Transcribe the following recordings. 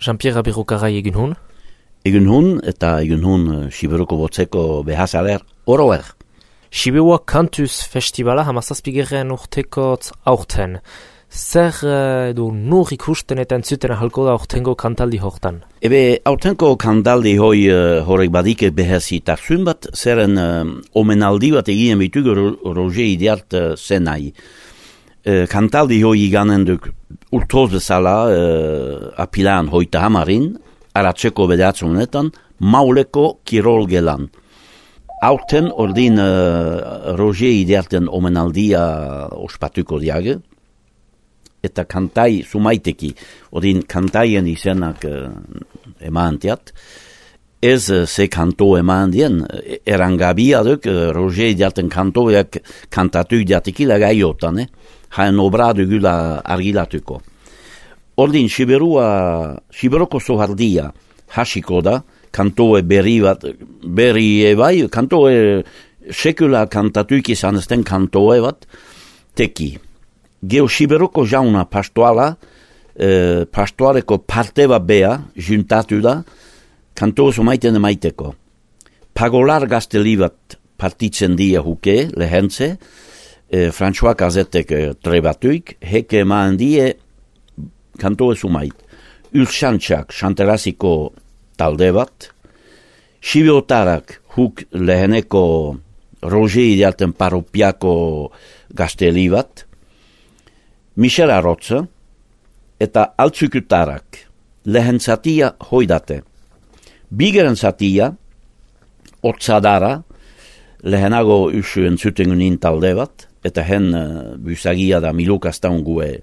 Jean-Pierre Abirukarai egin hun? Egin hun, eta egin hun Siberuko botzeko behazaler oroer. Siberua Kantuz Festivala hamazazpigeren urtekotz aurten. Zer edo nur ikusten eta entzuten ahalko da aurtengo kantaldi hortan? Ebe, aurtenko kantaldi horrek badike behazitasun bat, zeren omenaldi bat egien bitugu Roger Idiart zenai. Kantaldi hoi iganen duk urtoz bezala apilan hoita hamarin, aratzeko bedatzunetan, mauleko kirol gelan. Aurten ordin Roger Idiarten omenaldia ospatuko diage, eta kantai sumaiteki, ordin kantaien izenak emantiat, ez ze kanto emandien, erangabia duk Roger Idiarten kantoiak kantatu diatekila gaiotan, haen obradu gula argilatuko. Ordin Siberuko sohardia hasiko da, kantoe berri bai, kantoe sekula kantatuik izan ezten kantoe bat, teki. Geo Siberuko jauna pastoala, pastoaleko parte bat bea, juntatu da, kantoe sumaiten emaiteko. Pagolar gazteli bat partitzen dia huke, lehentze, François Kazetek trebatuik, heke eman die kantoe sumait. Urxantxak xanteraziko talde bat, Sibiotarak huk leheneko Roger Idiarten paropiako gazteli bat, Michel Arotza, eta altzukutarak lehen zatia hoidate. Bigeren zatia, otzadara, lehenago usuen zutengunin talde bat, eta hen busagia da milukastan gue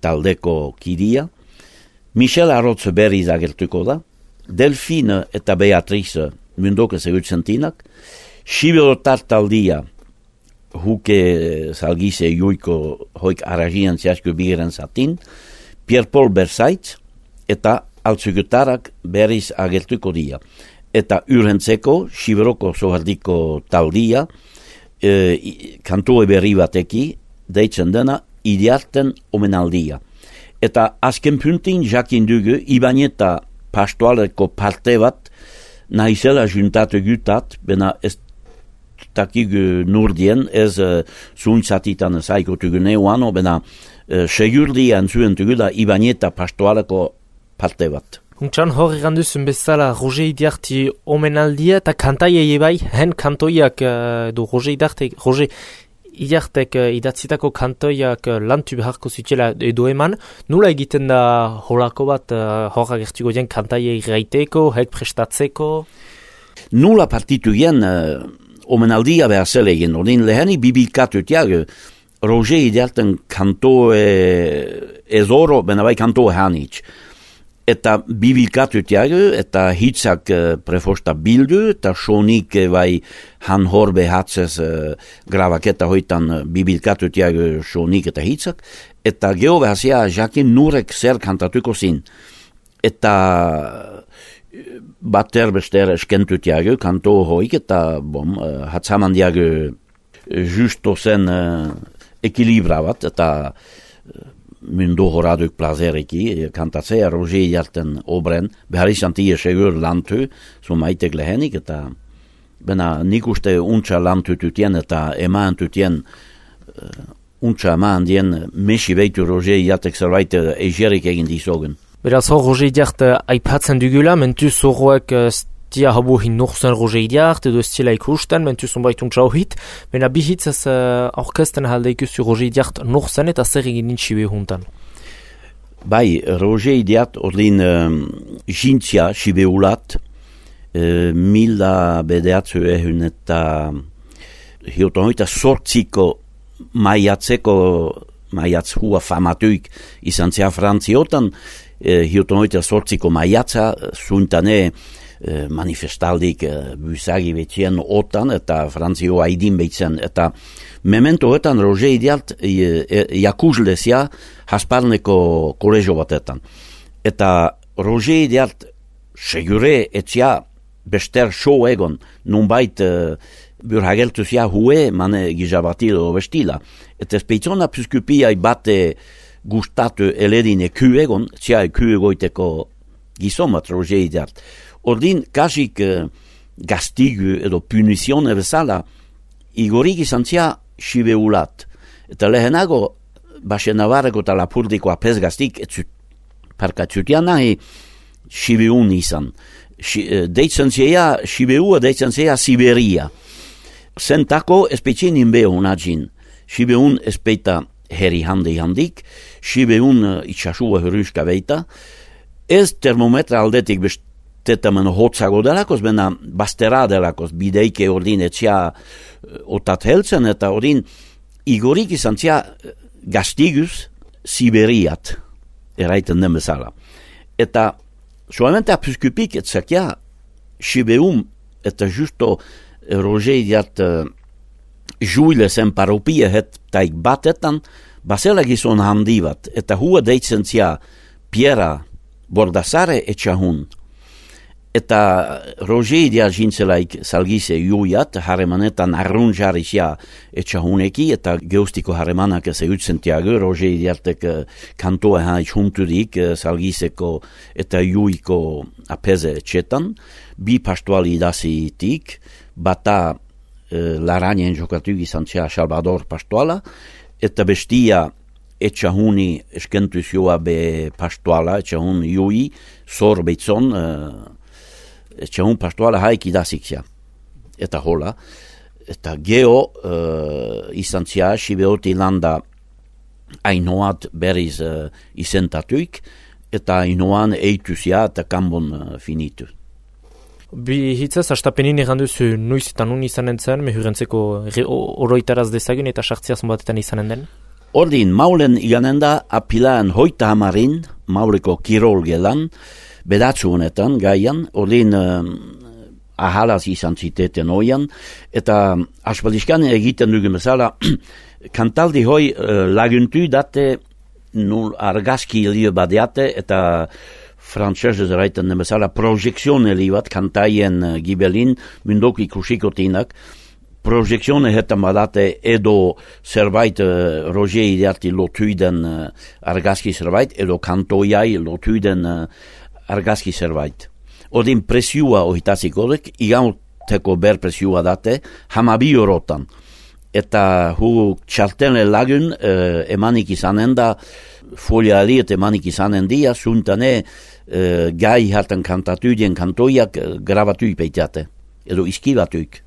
taldeko kidia. Michel Arotz berriz agertuko da, Delfine eta Beatrice mundoke zegutzentinak, Sibiotar taldia huke salgize juiko hoik aragian ziasko bigeren zatin, Pierre-Paul Bersaitz eta altzugutarak berriz agertuko dia. Eta urrentzeko, Siberoko sohardiko taldia, kantoe berri bateki, deitzen dena, Idiarten omenaldia. Eta azken puntin jakin dugu, Ibaneta pastoaleko parte bat, nahizela juntatu gutat, bena ez takigu nurdien, ez zuntzatitan zaikotugu neuano, bena segurdian zuentugu da Ibaneta pastoaleko parte bat. Untxan hor eganduzun bezala Roger Idiarti omenaldia eta kantaiei bai, hen kantoiak edo Roger Idiartek idatzitako kantoiak lantu beharko zutela edo eman, nula egiten da horako bat hor agertuko dien kantaiei gaiteko, hek prestatzeko? Nula partitu gen omenaldia behar zela egin, ordin leheni bibilkatutiak Roger Idiarten kantoe ezoro, bena bai kantoe hanitz. Eta bibilkatutiago, eta hitzak prefosta bildu, eta sonik bai han hor behatzez gravaketa hoitan bibilkatutiago sonik eta hitzak, eta geho behazia jakin nurek zer kantatuko zin. Eta bater bester eskentutiago kanto hoik, eta hatzaman diago justo zen ekilibra bat, eta mundu horaduk plazereki, kantatzea Roger Idiarten obren, behar izan tia segur lantu, sumaitek lehenik, eta bena nik uste untsa lantu tutien, eta eman tutien untsa eman dien mesi beitu Roger Idiartek zerbait eigerik egin dizogen. Beraz hor Roger Idiart aipatzen dugula, mentuz horroek tia habu hin nuxen Roger Idiart, edo estila ikusten, mentuz unbait untsa hohit, bena bihitz ez orkesten halde ikustu Roger Idiart nuxen eta zer egin nintxibe huntan. Bai, Roger Idiart ordin jintzia sibeulat, mila bedeatzu ehun eta hiotan hoita sortziko maiatz hua famatuik izan zea Frantziotan, hiotan hoita sortziko maiatza, zuntane manifestaldik busagi betxien otan, eta Frantzio haidin behitzen, eta memento hoetan Roger Idiart jakuzlezia hasparneko kolegio batetan. Eta Roger Idiart segure etzia bester show egon, nunbait burhageltuzia hue mane gizabatilo bestila. Eta speitzona piskupiai bate gustatu eledine kyegon, txai kyegoiteko gizomat Roger Idiart. Ordin, kasik gastigu edo punisione bezala, igorik izan zia sibeulat. Eta lehenago, baxe navarreko eta lapurdiko apes gaztik, parkatzutian nahi, sibeun izan. Deitzen zia, sibeua deitzen zia Siberia. Sentako espetxin inbeo unagin. Sibeun espeita heri handik, sibeun itxasua hurruska beita. Ez termometra aldetik bestetamen hotzago delakos, bena bastera delakos, bideike ordin etxia otat heltzen, eta ordin igorik izan zia gastigus Siberiat, eraiten den bezala. Eta solamente apuskupik etzakia sibeum eta justo Roger Idiart juile sen paropia het taik batetan, basela gizon handi bat, eta hua deitzen zia Piera Bordasare etxahun. Eta Roger Idiart jintzelaik salgise juiat, haremanetan arrunjarisia etxahuneki, eta geustiko haremanak ez eutzen tiago, Roger Idiartek kantoa haitz junturik salgiseko eta juiko apeze etxetan, bi pastuali idasitik, bata laranien jokatu izan zia Salvador pastuala, eta bestia etxahuni eskentuzioa be pastuala, etxahun jui, zor beitzon, etxahun pastuala haik idasik zia. Eta hola. Eta geo izan zia, sibeoti landa ainoat berriz izentatuik, eta ainoan eitu zia eta kanbon finitu. Bi hitzaz, astapenin eganduzu nuiz eta nun izanen zen, mehurentzeko oroitaraz dezagun eta sartziaz batetan izanen den? Ordin, maulen iganen da apilaan hoita hamarin, mauleko kirol gelan, bedatzu honetan, gaian, ordin ahalaz izan ziteten oian, eta aspaldizkan egiten dugun bezala, kantaldi hoi laguntu date argazki lio badeate, eta frantzesez eraiten den bezala projekzione li bat kantaien gibelin mundok ikusikotinak, projekzione hetan badate edo zerbait Roger Idiarti lotuiden argazki zerbait, edo kantoiai lotuiden argazki zerbait. Odin presiua ohitazik odek, igauteko ber presiua date, hamabi orotan. Eta hu txartene lagun emanik izanen da, folia aliet emanik izanen dia, suntane gai hartan kantatudien kantoiak grabatuik peitiate, edo iskibatuik.